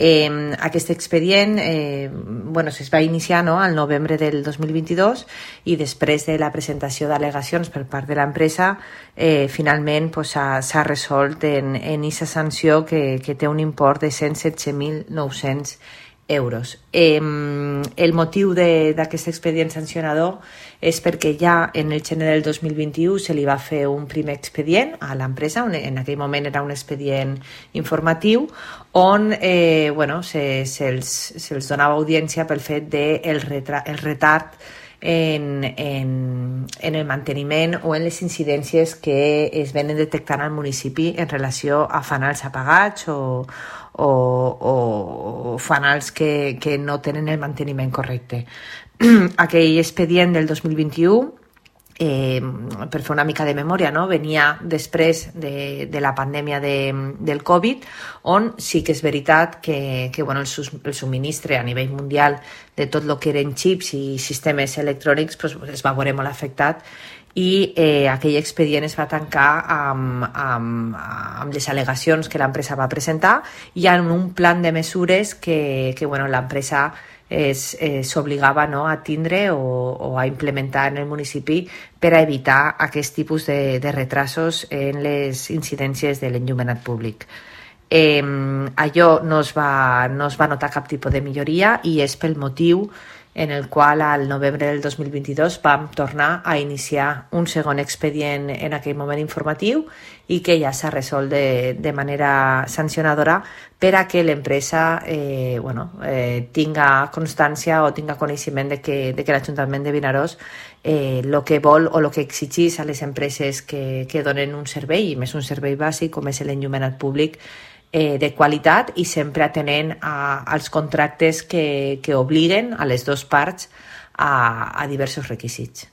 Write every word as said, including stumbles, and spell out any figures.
Eh, aquest expedient eh, bueno, es va iniciar, no?, al novembre del dos mil vint-i-dos, i després de la presentació d'al·legacions per part de l'empresa, eh, finalment pues, s'ha resolt en aquesta sanció que, que té un import de cent setze mil nou-cents euros. Eh, el motiu d'aquest expedient sancionador és perquè ja en el gener del dos mil vint-i-u se li va fer un primer expedient a l'empresa, en aquell moment era un expedient informatiu, on eh, bueno, se'ls se, se donava audiència pel fet del de el retard en, en, en el manteniment o en les incidències que es venen detectant al municipi en relació a fanals apagats o, o, o, o fanals que, que no tenen el manteniment correcte. Aquell expedient del dos mil vint-i-u, eh, per fer una mica de memòria, no?, venia després de, de la pandèmia de, del Covid, on sí que és veritat que, que bueno, el, sus, el subministre a nivell mundial de tot el que eren xips i sistemes electrònics pues, es va veure molt afectat, i eh, aquell expedient es va tancar amb, amb, amb les al·legacions que l'empresa va presentar i amb un plan de mesures que, que bueno, l'empresa s'obligava, no?, a tindre o, o a implementar en el municipi per a evitar aquest tipus de, de retrasos en les incidències de l'enllumenat públic. Eh, allò no es, va, no es va notar cap tipus de milloria i és pel motiu en el qual al novembre del dos mil vint-i-dos vam tornar a iniciar un segon expedient en aquell moment informatiu i que ja s'ha resolt de, de manera sancionadora per a que l'empresa eh, bueno, eh, tinga constància o tinga coneixement de que, de que l'Ajuntament de Vinaròs eh, lo que vol o lo que exigís a les empreses que, que donen un servei, i més un servei bàsic com és l'enllumenat públic, Eh, de qualitat i sempre atenent a, als contractes que, que obliguen a les dues parts a, a diversos requisits.